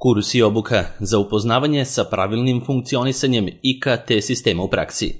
Kurs i obuka za upoznavanje sa pravilnim funkcionisanjem IKT sistema u praksi.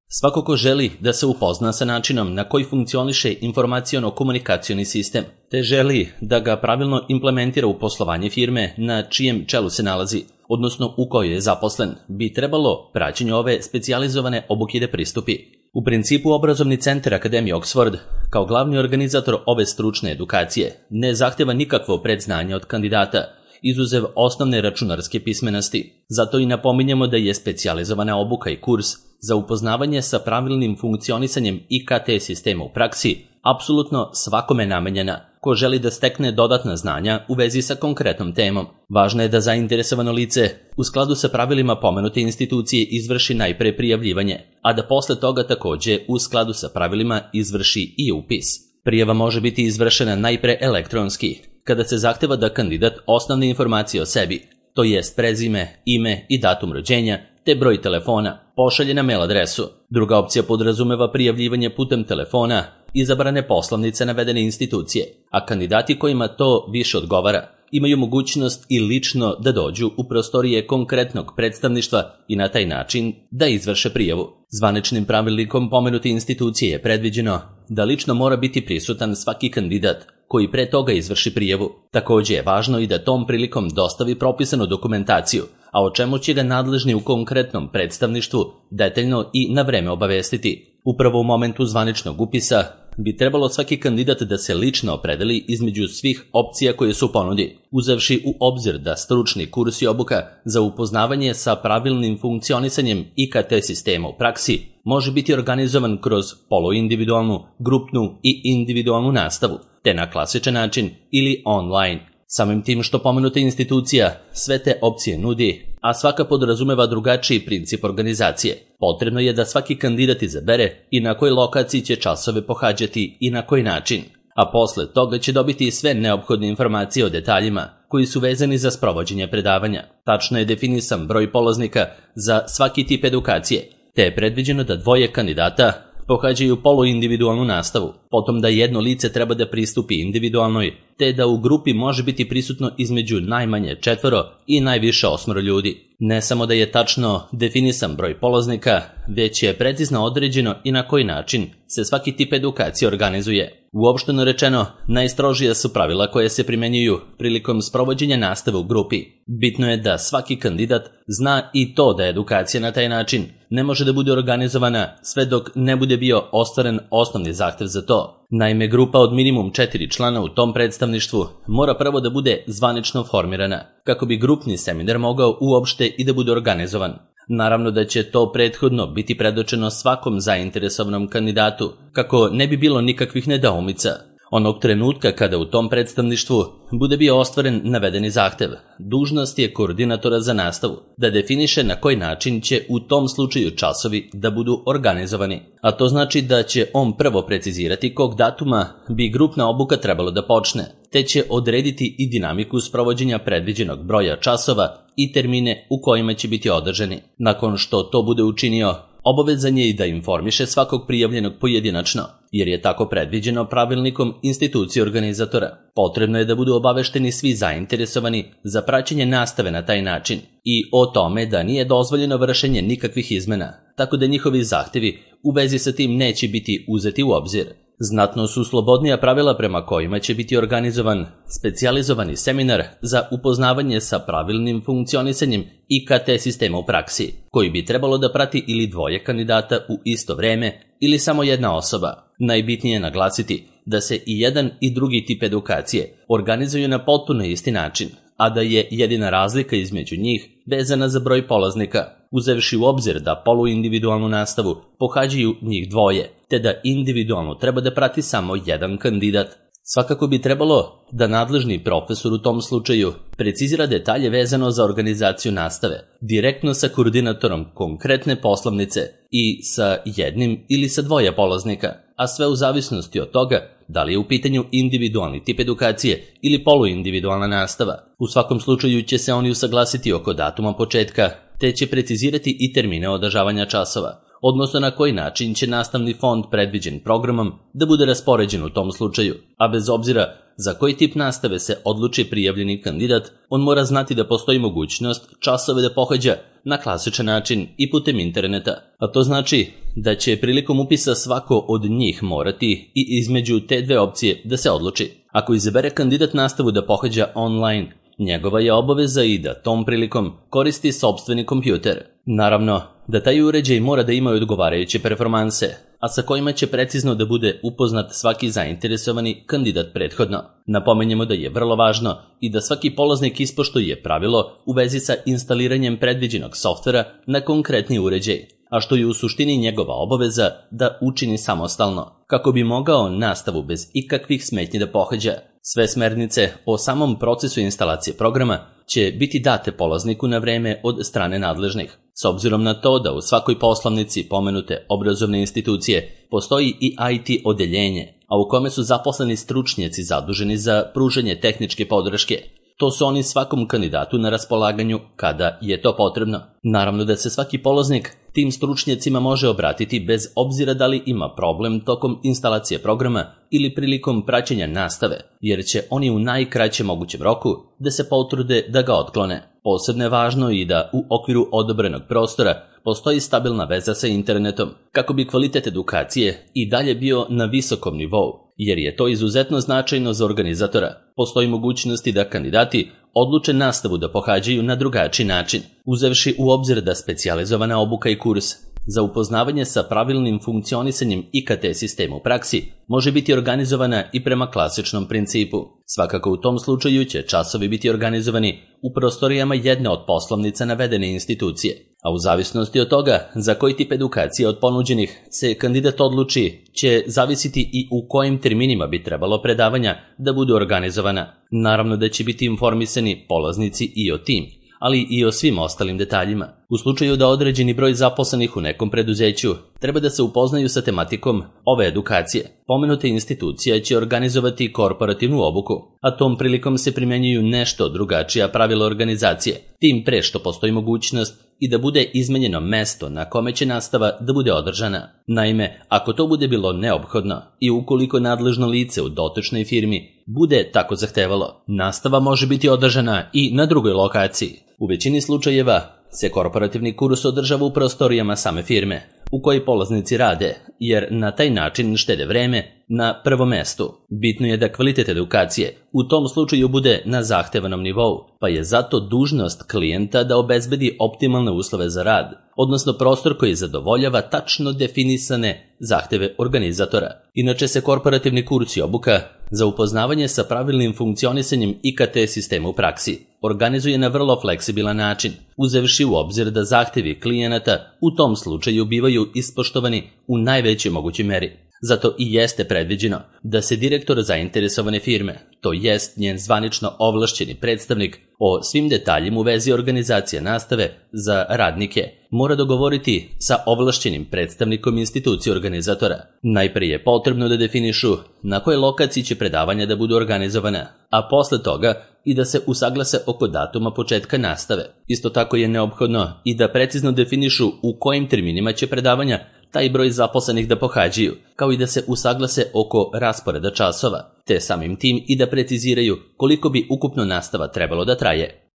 Svako ko želi da se upozna sa načinom na koji funkcioniše informaciono-komunikacioni sistem, te želi da ga pravilno implementira u poslovanje firme na čijem čelu se nalazi, odnosno u kojoj je zaposlen, bi trebalo praćenju ove specijalizovane obuke da pristupi. U principu, Obrazovni centar Akademije Oxford, kao glavni organizator ove stručne edukacije, ne zahteva nikakvo predznanje od kandidata, izuzev osnovne računarske pismenosti. Zato i napominjemo da je specijalizovana obuka i kurs za upoznavanje sa pravilnim funkcionisanjem IKT sistema u praksi apsolutno svakome namenjena ko želi da stekne dodatna znanja u vezi sa konkretnom temom. Važno je da zainteresovano lice u skladu sa pravilima pomenute institucije izvrši najpre prijavljivanje, a da posle toga takođe u skladu sa pravilima izvrši i upis. Prijava može biti izvršena najpre elektronski, kada se zahteva da kandidat osnovne informacije o sebi, to jest prezime, ime i datum rođenja, te broj telefona, pošalje na mail adresu. Druga opcija podrazumeva prijavljivanje putem telefona izabrane poslovnice navedene institucije, a kandidati kojima to više odgovara imaju mogućnost i lično da dođu u prostorije konkretnog predstavništva i na taj način da izvrše prijavu. Zvaničnim pravilnikom pomenute institucije je predviđeno da lično mora biti prisutan svaki kandidat koji pre toga izvrši prijavu. Takođe je važno i da tom prilikom dostavi propisanu dokumentaciju, a o čemu će ga nadležni u konkretnom predstavništvu detaljno i na vreme obavestiti. Upravo u momentu zvaničnog upisa bi trebalo svaki kandidat da se lično opredeli između svih opcija koje su u ponudi, uzevši u obzir da stručni kurs i obuka za upoznavanje sa pravilnim funkcionisanjem IKT sistema u praksi može biti organizovan kroz poluindividualnu, grupnu i individualnu nastavu, te na klasičan način ili online. Samim tim što pomenuta institucija sve te opcije nudi, a svaka podrazumeva drugačiji princip organizacije, potrebno je da svaki kandidat izabere i na kojoj lokaciji će časove pohađati i na koji način, a posle toga će dobiti sve neophodne informacije o detaljima koji su vezani za sprovođenje predavanja. Tačno je definisan broj polaznika za svaki tip edukacije, te je predviđeno da dvoje kandidata pohađaju poluindividualnu nastavu, potom da jedno lice treba da pristupi individualnoj, te da u grupi može biti prisutno između najmanje 4 i najviše 8 ljudi. Ne samo da je tačno definisan broj polaznika, već je precizno određeno i na koji način se svaki tip edukacije organizuje. Uopšteno rečeno, najstrožija su pravila koje se primenjuju prilikom sprovođenja nastave u grupi. Bitno je da svaki kandidat zna i to da edukacija na taj način ne može da bude organizovana sve dok ne bude bio ostvaren osnovni zahtev za to. Naime, grupa od minimum 4 člana u tom predstavništvu mora prvo da bude zvanično formirana, kako bi grupni seminar mogao uopšte i da bude organizovan. Naravno da će to prethodno biti predočeno svakom zainteresovanom kandidatu, kako ne bi bilo nikakvih nedoumica. Onog trenutka kada u tom predstavništvu bude bio ostvaren navedeni zahtev, dužnost je koordinatora za nastavu da definiše na koji način će u tom slučaju časovi da budu organizovani. A to znači da će on prvo precizirati kog datuma bi grupna obuka trebalo da počne, te će odrediti i dinamiku sprovođenja predviđenog broja časova i termine u kojima će biti održani. Nakon što to bude učinio, obavezan je i da informiše svakog prijavljenog pojedinačno, jer je tako predviđeno pravilnikom institucije organizatora. Potrebno je da budu obavešteni svi zainteresovani za praćenje nastave na taj način i o tome da nije dozvoljeno vršenje nikakvih izmena, tako da njihovi zahtevi u vezi sa tim neće biti uzeti u obzir. Znatno su slobodnija pravila prema kojima će biti organizovan specijalizovani seminar za upoznavanje sa pravilnim funkcionisanjem IKT sistema u praksi, koji bi trebalo da prati ili dvoje kandidata u isto vreme ili samo jedna osoba. Najbitnije je naglasiti da se i jedan i drugi tip edukacije organizuju na potpuno isti način, a da je jedina razlika između njih vezana za broj polaznika, uzevši u obzir da poluindividualnu nastavu pohađaju njih dvoje, te da individualno treba da prati samo jedan kandidat. Svakako bi trebalo da nadležni profesor u tom slučaju precizira detalje vezano za organizaciju nastave, direktno sa koordinatorom konkretne poslovnice i sa jednim ili sa dvoje polaznika, a sve u zavisnosti od toga da li je u pitanju individualni tip edukacije ili poluindividualna nastava. U svakom slučaju će se oni usaglasiti oko datuma početka, te će precizirati i termine održavanja časova. odnosno na koji način će nastavni fond predviđen programom da bude raspoređen u tom slučaju, a bez obzira za koji tip nastave se odluči prijavljeni kandidat, on mora znati da postoji mogućnost časove da pohađa na klasičan način i putem interneta, a to znači da će prilikom upisa svako od njih morati i između te dve opcije da se odluči. Ako izabere kandidat nastavu da pohađa online, njegova je obaveza i da tom prilikom koristi sopstveni kompjuter. Naravno da taj uređaj mora da ima odgovarajuće performanse, a sa kojima će precizno da bude upoznat svaki zainteresovani kandidat prethodno. Napomenjemo da je vrlo važno i da svaki polaznik ispoštuje pravilo u vezi sa instaliranjem predviđenog softvera na konkretni uređaj, a što je u suštini njegova obaveza da učini samostalno, kako bi mogao nastavu bez ikakvih smetnji da pohađa. Sve smernice o samom procesu instalacije programa će biti date polazniku na vreme od strane nadležnih. S obzirom na to da u svakoj poslovnici pomenute obrazovne institucije postoji i IT odeljenje, a u kome su zaposleni stručnjaci zaduženi za pružanje tehničke podrške, to su oni svakom kandidatu na raspolaganju kada je to potrebno. Naravno da se svaki polaznik tim stručnjacima može obratiti bez obzira da li ima problem tokom instalacije programa ili prilikom praćenja nastave, jer će oni u najkraćem mogućem roku da se potrude da ga otklone. Posebno je važno i da u okviru odobrenog prostora postoji stabilna veza sa internetom, kako bi kvalitet edukacije i dalje bio na visokom nivou, jer je to izuzetno značajno za organizatora. Postoji mogućnosti da kandidati odluče nastavu da pohađaju na drugačiji način, uzevši u obzir da specijalizovana obuka i kurs za upoznavanje sa pravilnim funkcionisanjem IKT sistema u praksi može biti organizovana i prema klasičnom principu. Svakako u tom slučaju će časovi biti organizovani u prostorijama jedne od poslovnica navedene institucije, a u zavisnosti od toga za koji tip edukacije od ponuđenih se kandidat odluči će zavisiti i u kojim terminima bi trebalo predavanja da budu organizovana. Naravno da će biti informisani polaznici i o tim, ali i o svim ostalim detaljima. U slučaju da određeni broj zaposlenih u nekom preduzeću treba da se upoznaju sa tematikom ove edukacije, pomenuta institucija će organizovati korporativnu obuku, a tom prilikom se primjenjuju nešto drugačija pravila organizacije, tim pre što postoji mogućnost i da bude izmenjeno mesto na kome će nastava da bude održana. Naime, ako to bude bilo neophodno i ukoliko nadležno lice u dotičnoj firmi bude tako zahtevalo, nastava može biti održana i na drugoj lokaciji. U većini slučajeva se korporativni kurs održava u prostorijama same firme u kojoj polaznici rade, jer na taj način štede vreme na prvom mestu. Bitno je da kvalitet edukacije u tom slučaju bude na zahtevanom nivou, pa je zato dužnost klijenta da obezbedi optimalne uslove za rad, odnosno prostor koji zadovoljava tačno definisane zahteve organizatora. Inače se korporativni kurs i obuka za upoznavanje sa pravilnim funkcionisanjem IKT sistema u praksi organizuje na vrlo fleksibilan način, uzevši u obzir da zahtevi klijenata u tom slučaju bivaju ispoštovani u najvećoj mogućoj meri. Zato i jeste predviđeno da se direktor zainteresovane firme, to jest njen zvanično ovlašćeni predstavnik, o svim detaljima u vezi organizacije nastave za radnike mora dogovoriti sa ovlašćenim predstavnikom institucije organizatora. Najprije je potrebno da definišu na kojoj lokaciji će predavanja da budu organizovana, a posle toga i da se usaglase oko datuma početka nastave. Isto tako je neophodno i da precizno definišu u kojim terminima će predavanja taj broj zaposlenih da pohađaju, kao i da se usaglase oko rasporeda časova, te samim tim i da preciziraju koliko bi ukupno nastava trebalo da traje.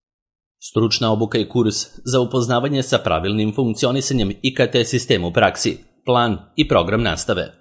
Stručna obuka i kurs za upoznavanje sa pravilnim funkcionisanjem IKT sistema u praksi, plan i program nastave.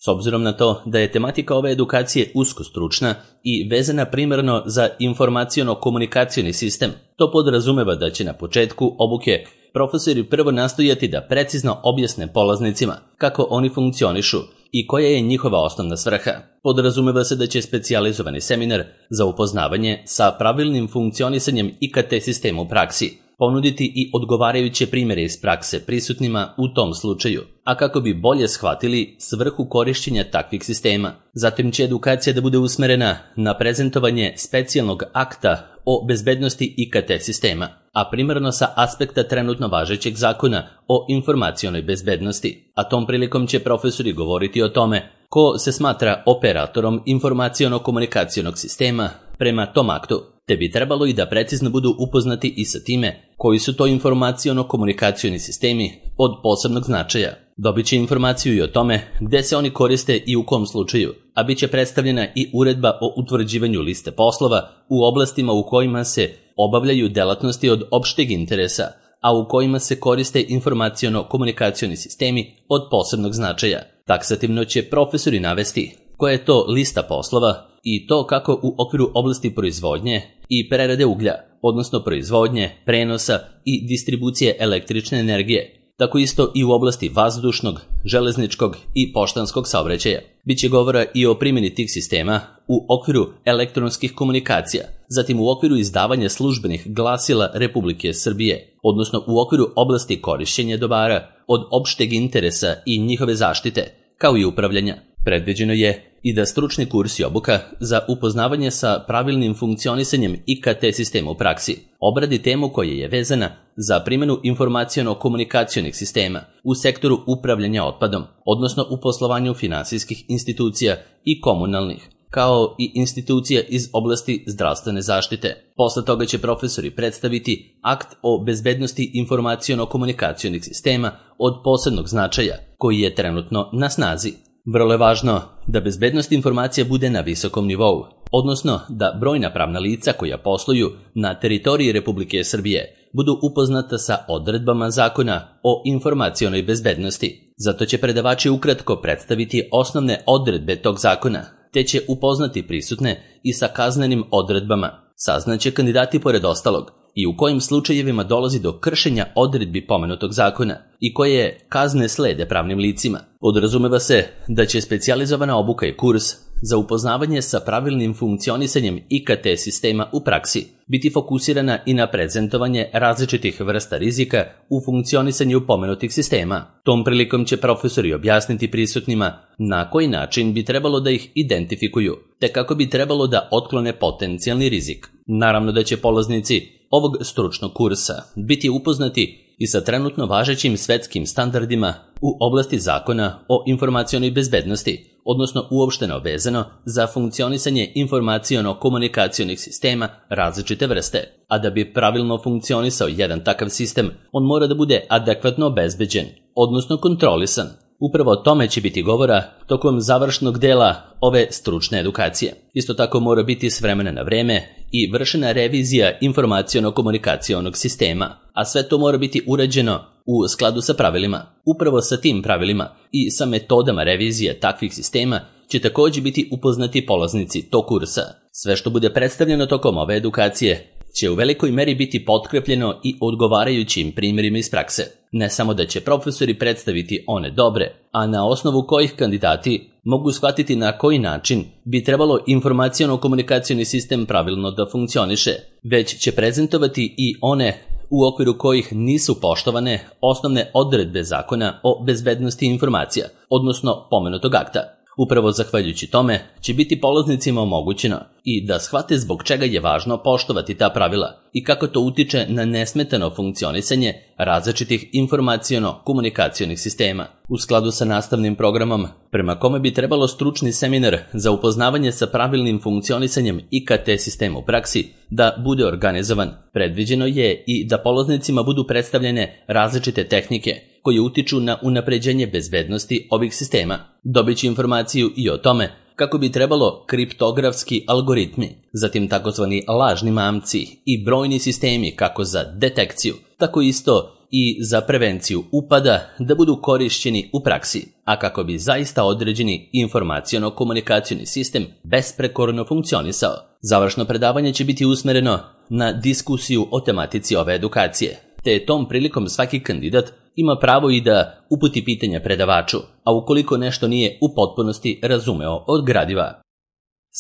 S obzirom na to da je tematika ove edukacije usko stručna i vezana primarno za informaciono-komunikacioni sistem, to podrazumeva da će na početku obuke profesori prvo nastojati da precizno objasne polaznicima kako oni funkcionišu i koja je njihova osnovna svrha. Podrazumeva se da će specijalizovani seminar za upoznavanje sa pravilnim funkcionisanjem IKT sistema u praksi ponuditi i odgovarajuće primjere iz prakse prisutnima u tom slučaju, a kako bi bolje shvatili svrhu korišćenja takvih sistema. Zatim će edukacija da bude usmerena na prezentovanje specijalnog akta o bezbednosti IKT sistema, a primarno sa aspekta trenutno važećeg zakona o informacionoj bezbednosti, a tom prilikom će profesori govoriti o tome ko se smatra operatorom informaciono-komunikacionog sistema prema tom aktu, te bi trebalo i da precizno budu upoznati i sa time koji su to informaciono-komunikacioni sistemi od posebnog značaja. Dobit će informaciju i o tome gde se oni koriste i u kom slučaju, a bit će predstavljena i uredba o utvrđivanju liste poslova u oblastima u kojima se obavljaju delatnosti od opšteg interesa, a u kojima se koriste informaciono-komunikacioni sistemi od posebnog značaja. Taksativno će profesori navesti koja je to lista poslova i to kako u okviru oblasti proizvodnje i prerade uglja, odnosno proizvodnje, prenosa i distribucije električne energije, tako isto i u oblasti vazdušnog, železničkog i poštanskog saobraćaja. Biće govora i o primjeni tih sistema u okviru elektronskih komunikacija, zatim u okviru izdavanja službenih glasila Republike Srbije, odnosno u okviru oblasti korišćenja dobara od opšteg interesa i njihove zaštite, kao i upravljanja. Predviđeno je i da stručni kurs i obuka za upoznavanje sa pravilnim funkcionisanjem IKT sistema u praksi obradi temu koja je vezana za primjenu informaciono-komunikacionih sistema u sektoru upravljanja otpadom, odnosno u poslovanju finansijskih institucija i komunalnih, kao i institucija iz oblasti zdravstvene zaštite. Posle toga će profesori predstaviti akt o bezbednosti informaciono-komunikacionih sistema od posebnog značaja, koji je trenutno na snazi. Vrlo je važno da bezbednost informacija bude na visokom nivou, odnosno da brojna pravna lica koja posluju na teritoriji Republike Srbije budu upoznata sa odredbama zakona o informacionoj bezbednosti. Zato će predavači ukratko predstaviti osnovne odredbe tog zakona, te će upoznati prisutne i sa kaznenim odredbama. Saznaće kandidati pored ostalog i u kojim slučajevima dolazi do kršenja odredbi pomenutog zakona i koje kazne slede pravnim licima. Podrazumeva se da će specijalizovana obuka i kurs za upoznavanje sa pravilnim funkcionisanjem IKT sistema u praksi biti fokusirana i na prezentovanje različitih vrsta rizika u funkcionisanju pomenutih sistema. Tom prilikom će profesori objasniti prisutnima na koji način bi trebalo da ih identifikuju, te kako bi trebalo da otklone potencijalni rizik. Naravno da će polaznici ovog stručnog kursa biti upoznati i sa trenutno važećim svetskim standardima u oblasti zakona o informacionoj bezbednosti, odnosno uopšteno vezano za funkcionisanje informaciono-komunikacionih sistema različite vrste. A da bi pravilno funkcionisao jedan takav sistem, on mora da bude adekvatno obezbeđen, odnosno kontrolisan. Upravo o tome će biti govora tokom završnog dela ove stručne edukacije. Isto tako mora biti s vremena na vreme i vršena revizija informaciono-komunikacionog sistema, a sve to mora biti urađeno u skladu sa pravilima. Upravo sa tim pravilima i sa metodama revizije takvih sistema će također biti upoznati polaznici tog kursa. Sve što bude predstavljeno tokom ove edukacije će u velikoj meri biti potkrepljeno i odgovarajućim primjerima iz prakse. Ne samo da će profesori predstaviti one dobre, a na osnovu kojih kandidati mogu shvatiti na koji način bi trebalo informaciono-komunikacioni sistem pravilno da funkcioniše, već će prezentovati i one u okviru kojih nisu poštovane osnovne odredbe zakona o bezbednosti informacija, odnosno pomenutog akta. Upravo zahvaljujući tome će biti polaznicima omogućeno i da shvate zbog čega je važno poštovati ta pravila i kako to utiče na nesmetano funkcionisanje različitih informaciono-komunikacionih sistema. U skladu sa nastavnim programom, prema kome bi trebalo stručni seminar za upoznavanje sa pravilnim funkcionisanjem IKT sistema u praksi da bude organizovan, predviđeno je i da polaznicima budu predstavljene različite tehnike koje utiču na unapređenje bezbednosti ovih sistema. Dobit će informaciju i o tome kako bi trebalo kriptografski algoritmi, zatim takozvani lažni mamci i brojni sistemi kako za detekciju, tako isto i za prevenciju upada da budu korišćeni u praksi, a kako bi zaista određeni informaciono-komunikacioni sistem besprekorno funkcionisao. Završno predavanje će biti usmereno na diskusiju o tematici ove edukacije, te tom prilikom svaki kandidat ima pravo i da uputi pitanja predavaču, a ukoliko nešto nije u potpunosti razumeo od gradiva.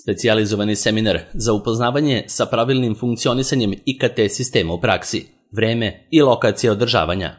Specijalizovani seminar za upoznavanje sa pravilnim funkcionisanjem IKT sistema u praksi, vreme i lokacija održavanja.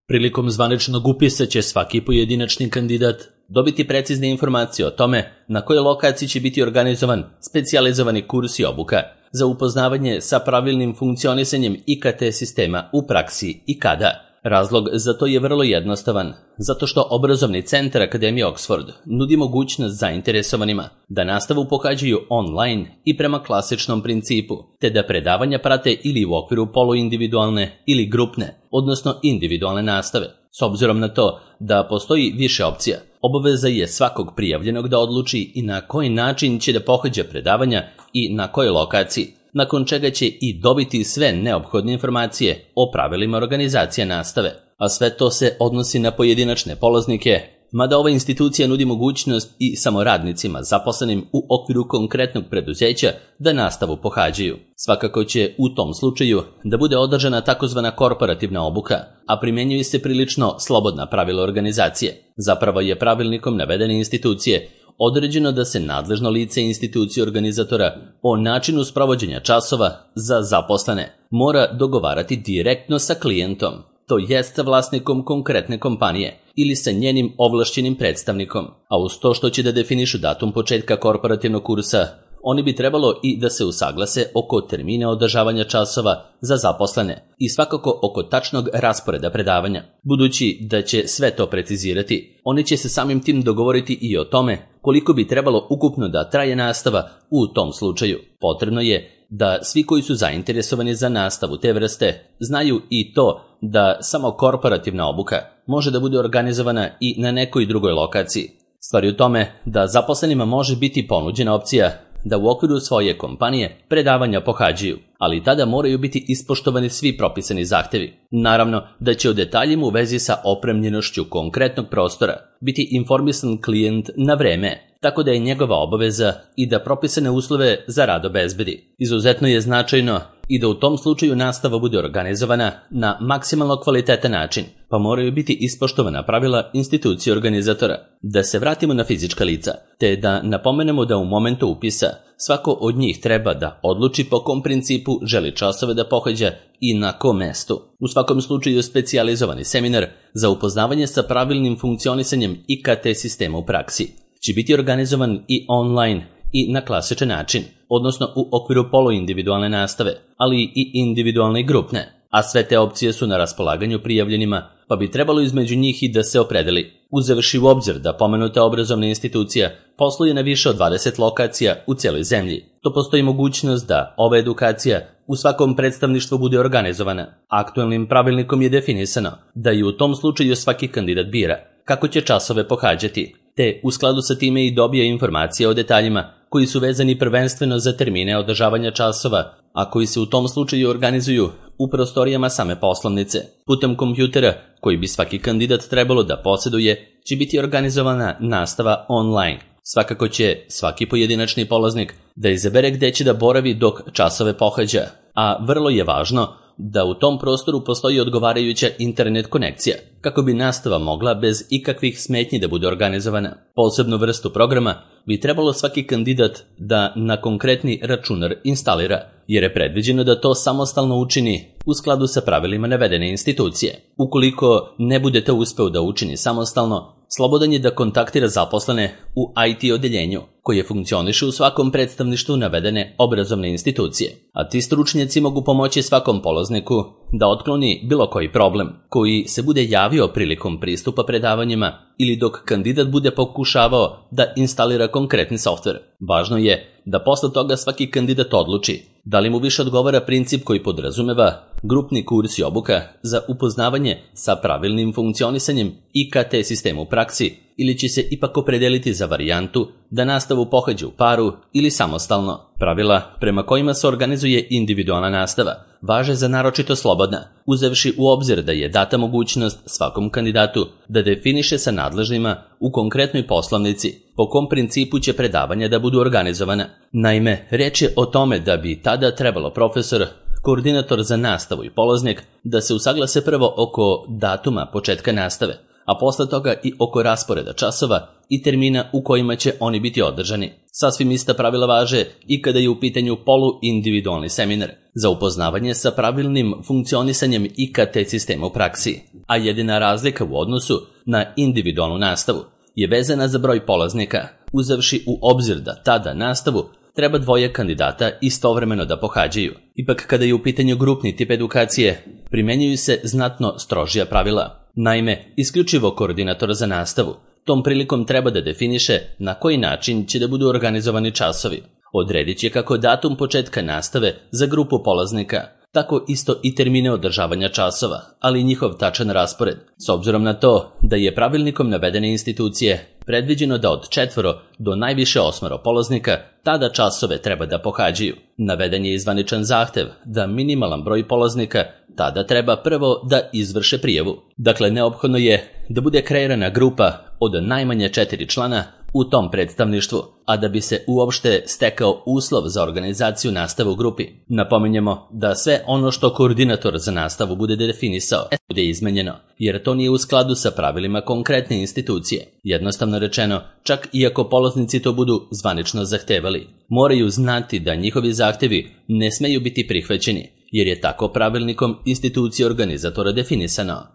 Prilikom zvaničnog upisa će svaki pojedinačni kandidat dobiti precizne informacije o tome na kojoj lokaciji će biti organizovan specijalizovani kurs i obuka za upoznavanje sa pravilnim funkcionisanjem IKT sistema u praksi i kada. Razlog za to je vrlo jednostavan, zato što obrazovni centar Akademije Oxford nudi mogućnost zainteresovanima da nastavu pohađaju online i prema klasičnom principu, te da predavanja prate ili u okviru poluindividualne ili grupne, odnosno individualne nastave. S obzirom na to da postoji više opcija, obaveza je svakog prijavljenog da odluči i na koji način će da pohađa predavanja i na kojoj lokaciji, nakon čega će i dobiti sve neophodne informacije o pravilima organizacije nastave, a sve to se odnosi na pojedinačne polaznike, mada ova institucija nudi mogućnost i samoradnicima zaposlenim u okviru konkretnog preduzeća da nastavu pohađaju. Svakako će u tom slučaju da bude održana takozvana korporativna obuka, a primjenjuju se prilično slobodna pravila organizacije. Zapravo je pravilnikom navedene institucije određeno da se nadležno lice institucije organizatora o načinu sprovođenja časova za zaposlene mora dogovarati direktno sa klijentom, to jest sa vlasnikom konkretne kompanije ili sa njenim ovlašćenim predstavnikom, a uz to što će da definišu datum početka korporativnog kursa, oni bi trebalo i da se usaglase oko termina održavanja časova za zaposlene i svakako oko tačnog rasporeda predavanja. Budući da će sve to precizirati, oni će se samim tim dogovoriti i o tome koliko bi trebalo ukupno da traje nastava u tom slučaju. Potrebno je da svi koji su zainteresovani za nastavu te vrste znaju i to da samo korporativna obuka može da bude organizovana i na nekoj drugoj lokaciji. Stvar je u tome da zaposlenima može biti ponuđena opcija da u okviru svoje kompanije predavanja pohađaju, ali tada moraju biti ispoštovani svi propisani zahtevi. Naravno da će o detaljima u vezi sa opremljenošću konkretnog prostora biti informisan klijent na vreme, tako da je njegova obaveza i da propisane uslove za rad obezbedi. Izuzetno je značajno i da u tom slučaju nastava bude organizovana na maksimalno kvalitetan način, pa moraju biti ispoštovana pravila institucije organizatora. Da se vratimo na fizička lica, te da napomenemo da u momentu upisa svako od njih treba da odluči po kom principu želi časove da pohađa i na kom mestu. U svakom slučaju specijalizovani seminar za upoznavanje sa pravilnim funkcionisanjem IKT sistema u praksi će biti organizovan i online i na klasičan način, odnosno u okviru poluindividualne nastave, ali i individualne i grupne, a sve te opcije su na raspolaganju prijavljenima, pa bi trebalo između njih i da se opredeli. Uzevši u obzir da pomenuta obrazovna institucija posluje na više od 20 lokacija u cijeloj zemlji, to postoji mogućnost da ova edukacija u svakom predstavništvu bude organizovana. Aktualnim pravilnikom je definisano da i u tom slučaju svaki kandidat bira kako će časove pohađati, te u skladu sa time i dobija informacije o detaljima koji su vezani prvenstveno za termine održavanja časova, a koji se u tom slučaju organizuju u prostorijama same poslovnice. Putem kompjutera koji bi svaki kandidat trebalo da posjeduje će biti organizovana nastava online. Svakako će svaki pojedinačni polaznik da izabere gde će da boravi dok časove pohađa, a vrlo je važno da u tom prostoru postoji odgovarajuća internet konekcija, kako bi nastava mogla bez ikakvih smetnji da bude organizovana. Posebnu vrstu programa bi trebalo svaki kandidat da na konkretni računar instalira, jer je predviđeno da to samostalno učini u skladu sa pravilima navedene institucije. Ukoliko ne bude to uspeo da učini samostalno, slobodan je da kontaktira zaposlene u IT odeljenju, koje funkcioniše u svakom predstavništvu navedene obrazovne institucije. A ti stručnjaci mogu pomoći svakom polazniku da otkloni bilo koji problem koji se bude javio prilikom pristupa predavanjima ili dok kandidat bude pokušavao da instalira konkretni softver. Važno je da posle toga svaki kandidat odluči da li mu više odgovara princip koji podrazumeva grupni kurs i obuka za upoznavanje sa pravilnim funkcionisanjem IKT sistema u praksi ili će se ipak opredeliti za varijantu da nastavu pohađa u paru ili samostalno. Pravila prema kojima se organizuje individualna nastava važe za naročito slobodna, uzevši u obzir da je data mogućnost svakom kandidatu da definiše sa nadležnima u konkretnoj poslovnici po kom principu će predavanja da budu organizovana. Naime, reč je o tome da bi tada trebalo profesor, koordinator za nastavu i polaznik da se usaglase prvo oko datuma početka nastave, a posle toga i oko rasporeda časova i termina u kojima će oni biti održani. Sasvim ista pravila važe i kada je u pitanju poluindividualni seminar za upoznavanje sa pravilnim funkcionisanjem IKT sistema u praksi, a jedina razlika u odnosu na individualnu nastavu je vezana za broj polaznika, uzevši u obzir da tada nastavu treba dvoje kandidata istovremeno da pohađaju. Ipak kada je u pitanju grupni tip edukacije, primjenjuju se znatno strožija pravila. Naime, isključivo koordinator za nastavu tom prilikom treba da definiše na koji način će da budu organizovani časovi. Odredit će kako datum početka nastave za grupu polaznika, tako isto i termine održavanja časova, ali i njihov tačan raspored, s obzirom na to da je pravilnikom navedene institucije predviđeno da od 4 do najviše 8 polaznika tada časove treba da pohađaju. Naveden je i zvaničan zahtev da minimalan broj polaznika tada treba prvo da izvrše prijavu. Dakle, neophodno je da bude kreirana grupa od najmanje 4 člana u tom predstavništvu, a da bi se uopšte stekao uslov za organizaciju nastave u grupi. Napominjemo da sve ono što koordinator za nastavu bude definisao bude izmenjeno, jer to nije u skladu sa pravilima konkretne institucije. Jednostavno rečeno, čak i ako polaznici to budu zvanično zahtevali, moraju znati da njihovi zahtevi ne smeju biti prihvaćeni, jer je tako pravilnikom institucije organizatora definisano.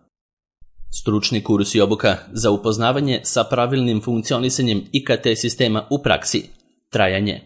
Stručni kurs i obuka za upoznavanje sa pravilnim funkcionisanjem IKT sistema u praksi. Trajanje.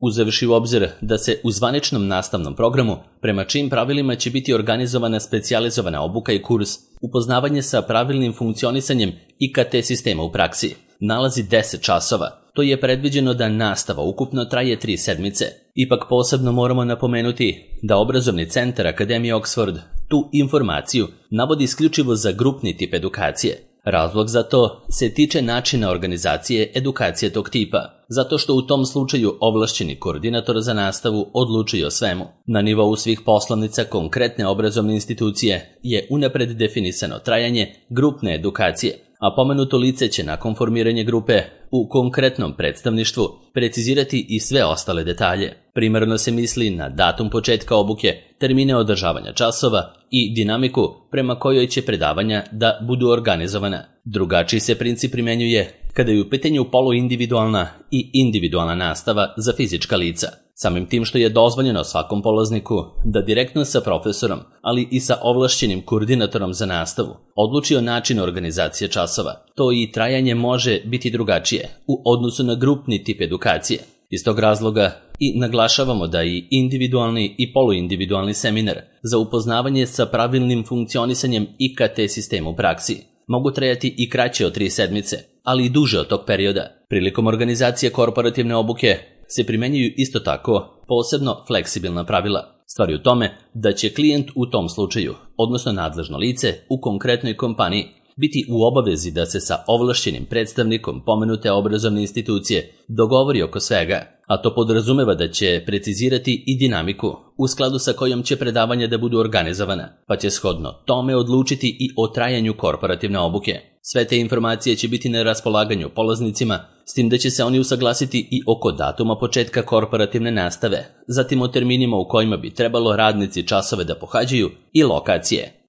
Uzevši u obzir da se u zvaničnom nastavnom programu, prema čijim pravilima će biti organizovana specijalizovana obuka i kurs upoznavanje sa pravilnim funkcionisanjem IKT sistema u praksi, nalazi 10 časova. To je predviđeno da nastava ukupno traje 3 sedmice. Ipak posebno moramo napomenuti da obrazovni centar Akademije Oxford tu informaciju navodi isključivo za grupni tip edukacije. Razlog za to se tiče načina organizacije edukacije tog tipa, zato što u tom slučaju ovlašćeni koordinator za nastavu odlučuje o svemu. Na nivou svih poslovnica konkretne obrazovne institucije je unapred definisano trajanje grupne edukacije, a pomenuto lice će nakon formiranja grupe u konkretnom predstavništvu precizirati i sve ostale detalje. Primarno se misli na datum početka obuke, termine održavanja časova i dinamiku prema kojoj će predavanja da budu organizovana. Drugačiji se princip primjenjuje kada je u pitanju poluindividualna i individualna nastava za fizička lica. Samim tim što je dozvoljeno svakom polazniku da direktno sa profesorom, ali i sa ovlašćenim koordinatorom za nastavu, odluči o načinu organizacije časova. To i trajanje može biti drugačije u odnosu na grupni tip edukacije. Iz tog razloga i naglašavamo da i individualni i poluindividualni seminar za upoznavanje sa pravilnim funkcionisanjem IKT sistema u praksi mogu trajati i kraće od 3 sedmice, ali i duže od tog perioda. Prilikom organizacije korporativne obuke se primenjuju isto tako posebno fleksibilna pravila. Stvar je u tome da će klijent u tom slučaju, odnosno nadležno lice u konkretnoj kompaniji, biti u obavezi da se sa ovlašćenim predstavnikom pomenute obrazovne institucije dogovori oko svega, a to podrazumeva da će precizirati i dinamiku u skladu sa kojom će predavanja da budu organizovana, pa će shodno tome odlučiti i o trajanju korporativne obuke. Sve te informacije će biti na raspolaganju polaznicima, s tim da će se oni usaglasiti i oko datuma početka korporativne nastave, zatim o terminima u kojima bi trebalo radnici časove da pohađaju i lokacije.